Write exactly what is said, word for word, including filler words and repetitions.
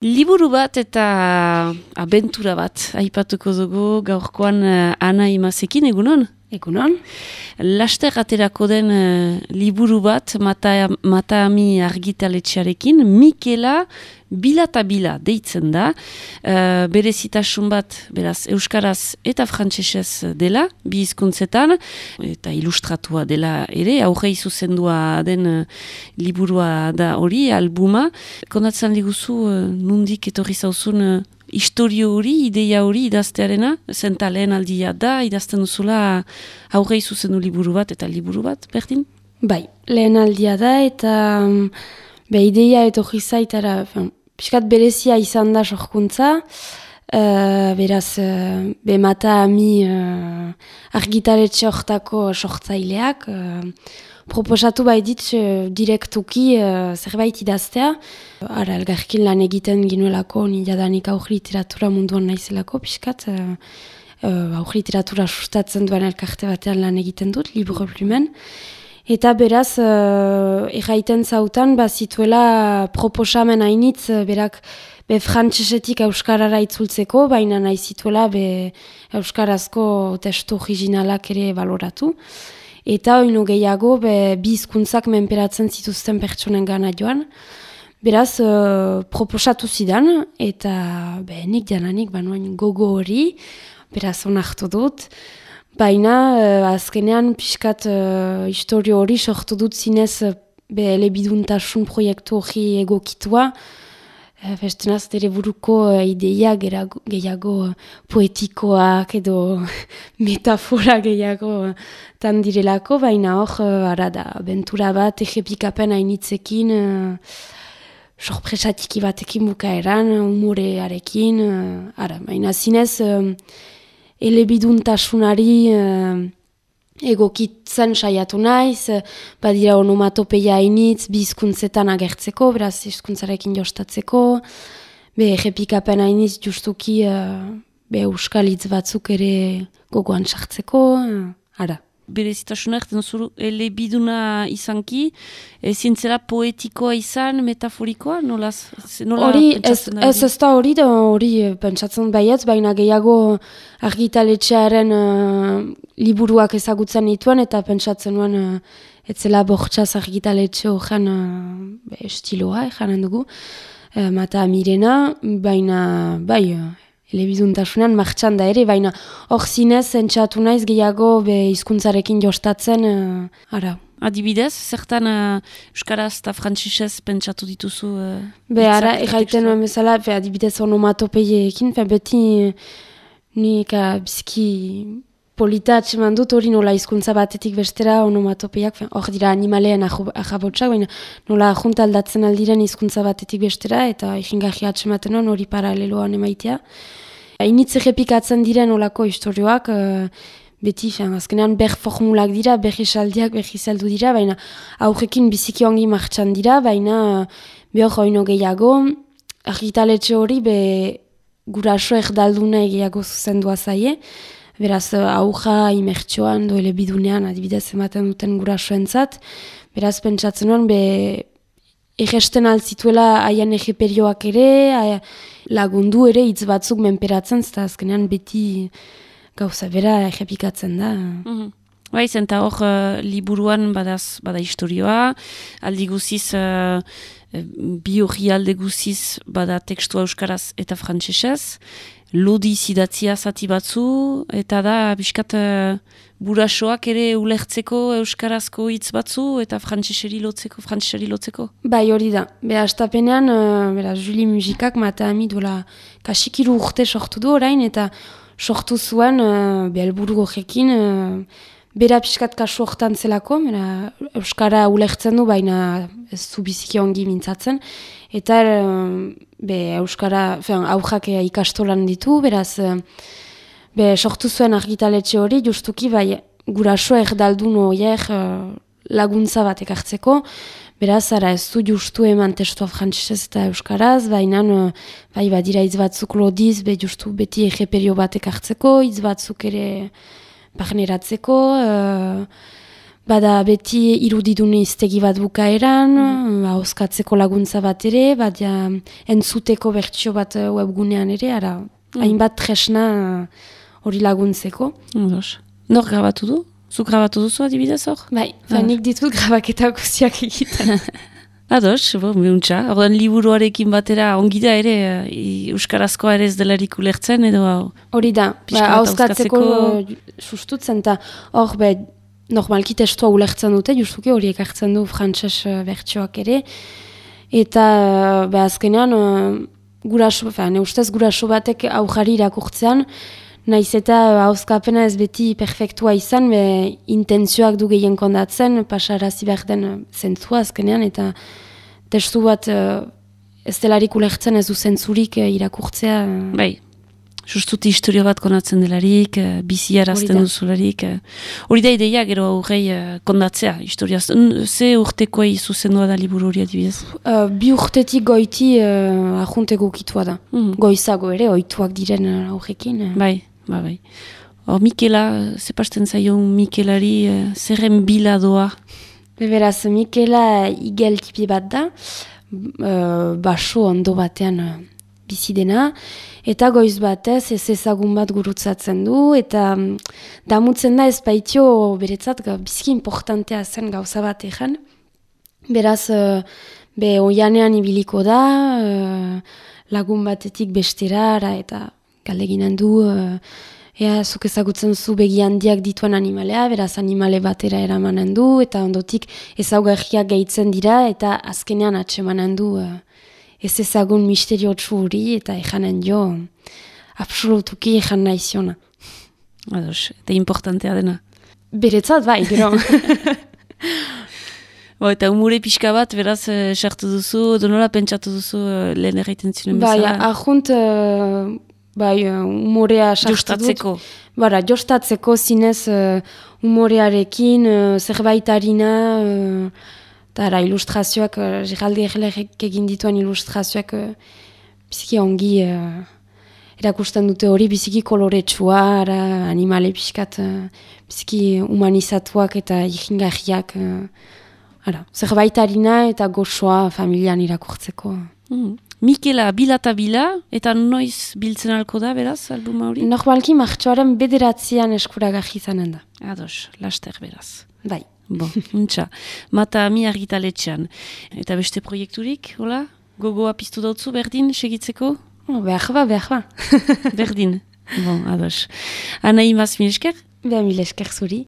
Liburu bat eta abentura bat aipatuko dugu gaurkoan uh, Ana Imazekin, egunon? Egunon. Laster aterako den uh, liburu bat Mata, Mataami argitaletxearekin, Mikela Bila eta Bila deitzen da. Uh, berezitasun bat, beraz, euskaraz eta frantsesez dela, bi hizkuntzetan, eta ilustratua dela ere, aurrei zuzendua den uh, liburua da hori, albuma. Kondatzen diguzu, uh, nundik etorri zauzun uh, historio hori, ideia hori idaztearena, zenta lehen aldia da, idazten duzula aurrei zuzendu liburu bat eta liburu bat, berdin? Bai, lehen aldia da eta um, be ideia etorri zaitara, piskat berezia izan da sorkuntza, uh, beraz, uh, be Mataami uh, argitaletxe hortako sortzaileak, uh, proposatu bai dit uh, direktuki uh, zerbait idaztea. Ara, elgarkin lan egiten ginuelako, ni jadanik aur literatura munduan naizelako, piskat, uh, uh, aur literatura sustatzen duen elkarte batean lan egiten dut, Libre Plumen. Eta beraz, uh, erraiten zautan, bazituela proposamen hainitz, berak be frantsesetik euskarara itzultzeko, baina nahi zituela be euskarazko testu originalak ere baloratu. Eta oino gehiago, be bi hizkuntzak menperatzen zituzten pertsonen gana joan. Beraz, uh, proposatu zidan, eta be, nik jananik banuan gogo hori, beraz onartu dut. Baina, uh, azkenean, pixkat uh, historio hori sortu dut zinez uh, be elebiduntasun proiektu hori egokitua. Uh, Bestenaz, dere buruko uh, ideia gerago, gehiago uh, poetikoak edo metafora gehiago uh, tan direlako, baina hor, uh, ara da, abentura bat, egepikapen hainitzekin, uh, sorpresatiki batekin bukaeran, humorearekin, uh, ara, baina zinez, uh, elebiduntasunari uh, egokitzen saiatu naiz, uh, badira onomatopeia hainitz, bi hizkuntzetan agertzeko, beraz hizkuntzarekin jostatzeko, be errepikapen hainitz justuki uh, be euskal hitz batzuk ere gogoan sartzeko, uh, ara. Berezitasunak, zuru elebiduna izanki, ezin zela poetikoa izan, metaforikoa, nola, nola hori, pentsatzen da? Ez ez da hori, da hori pentsatzen baietz, baina gehiago argitaletxearen uh, liburuak ezagutzen dituen, eta pentsatzen nuen uh, etzela bortxaz argitaletxe horren uh, estiloa, janen dugu, uh, Mataamirena, baina bai, uh, elebiduntasunean martxan da ere, baina hor zinez entzatu naiz gehiago be hizkuntzarekin jostatzen, uh, ara. Adibidez, zertan uh, euskaraz eta frantsesez pentsatu dituzu? Uh, be ara, erraiten nuen bezala, be adibidez onomatopeiekin, beti nik uh, bizki polita atseman dut hori nola hizkuntza batetik bestera onomatopeiak, hor dira animaleen ahabotsak, baina nola junta aldatzen aldiren hizkuntza batetik bestera, eta ikingarri atsematen nuen hori paraleloan emaitea. Hainitz errepikatzen diren olako historioak, uh, beti, fin, azkenean ber formulak dira, ber esaldiak, ber izaldu dira, baina aurrekin biziki ongi martxan dira, baina uh, behor oino gehiago, argitaletxe hori be guraso erdalduna gehiago zuzendua zaie, beraz auja imertxoan doele bidunean adibidez ematen duten gurasoentzat, beraz pentsatzen nuen be egesten altzituela haien egeperioak ere, lagundu ere hitz batzuk menperatzen, eta azkenean beti gauza bera egepikatzen da. Mm-hmm. Bai, zenta hor uh, liburuan badaz, bada historioa, aldi guziz, uh, bi hori alde guziz bada tekstua euskaraz eta frantsesez, lodi zidatzia zati batzu, eta da, biskat, uh, burasoak ere ulertzeko euskarazko hitz batzu, eta frantseseri lotzeko, frantseseri lotzeko. Bai, hori da. Beha, astapenean, uh, bera, Juli Musikak Mataami duela kasikiru urte sortu du orain, eta sortu zuen, uh, behelburu horrekin, uh, bera piskat kasu hortan zelako, bera, euskara ulertzen du, baina ez zu biziki ongi mintzatzen, eta uh, be, euskara, fean, aurrak ikastolan ditu, beraz, uh, be, sortu zuen argitaletxe hori, justuki, bai, guraso erdaldun horiek uh, laguntza bat ekartzeko, beraz, ara ez du justu eman testua frantsesez eta euskaraz, baina uh, bai, badira hitz batzuk lodiz, be, justu beti egeperio bat ekartzeko, hitz batzuk ere barneratzeko, uh, bada beti irudidun iztegi bat bukaeran, mm. Hauskatzeko laguntza bat ere, badia entzuteko bertsio bat webgunean ere, ara, mm. hainbat tresna hori laguntzeko. Odos. Nor grabatu du? Zuk grabatu duzu adibidez hor? Bai, ah. nik ditut grabaketa guztiak egiten. Ados, bo, meuntza. Ordan liburuarekin batera ongi da ere, euskarazkoa ere ez delarik ulertzen, edo hori da, ba, hauskatzeko sustutzen, eta hor, be, normalki testua ulertzen dute, justuki horiek hartzen du frantses bertsioak ere, eta be, azkenean, guraso, ne ustez guraso batek aujari irakurtzean, naiz eta hauskapena ez beti perfektua izan, be, intentzioak du gehien kondatzen, pasarazi behar den zentzua azkenean, eta testu bat ez delarik ulertzen ez du zentzurik irakurtzea. Bai, justuti historio bat konatzen delarik, bizi arazten duzularik. Hori da ideia gero aurrei kondatzea, historia. Ze urtekoa zuzendua da liburu hori adibidez? Uh, bi urtetik goiti uh, ajunteko kitua da. Mm. Goizago ere, oituak diren aurrekin. Uh. Bai. Ba, bai. Hor, Mikela, zepasten zaion Mikelari, uh, zerren bila doa? Beberaz, Mikela igel tipi bat da, uh, baso ondo batean uh, bizi dena, eta goiz batez ez ezagun bat gurutzatzen du, eta um, damutzen da ez baitio beretzat bizki importantea zen gauza bat egan. Beraz, uh, be oianean ibiliko da, uh, lagun batetik bestera, eta galdeginen du, uh, ea, zuk ezagutzen zu begi handiak dituen animalea, beraz animale batera eramanen du, eta ondotik ezaugarriak gehitzen dira, eta azkenean atsemanen du uh, ez ezagun misteriotsu hori, eta ejanen jo, absolutuki ejan nahi ziona. Ados, eta importantea dena. Beretzat bai, gero. Bo, eta umure pixka bat, beraz, sartu uh, duzu, donola pentsatu duzu uh, lehen erraiten zinen bezala? Bai, ahunt... Uh, Bai, umorea sartu dut. Bara, jostatzeko zinez uh, umorearekin, uh, zerbaitarina, eta uh, ilustrazioak, uh, Geraldi Erlerek egin dituen ilustrazioak uh, biziki ongi uh, erakusten dute hori, biziki koloretsua, animale pixkat, uh, biziki humanizatuak eta ikingarriak. Uh, zerbaitarina eta gozoa familian irakurtzeko. Mm. Mikela bilata bila, eta noiz biltzen alko da, beraz, albuma hori? Normalki martxoaren bederatzean eskuragarri izanen da. Ados, laster beraz. Bai. Bo, untxa. Mata ami argitaletxean. Eta beste proiekturik, hola? Gogoa piztu dautzu, berdin, segitzeko? Oh, behar ba, behar ba. Berdin. Bon, ados. Ana imaz, mil esker? Beha mil esker zuri.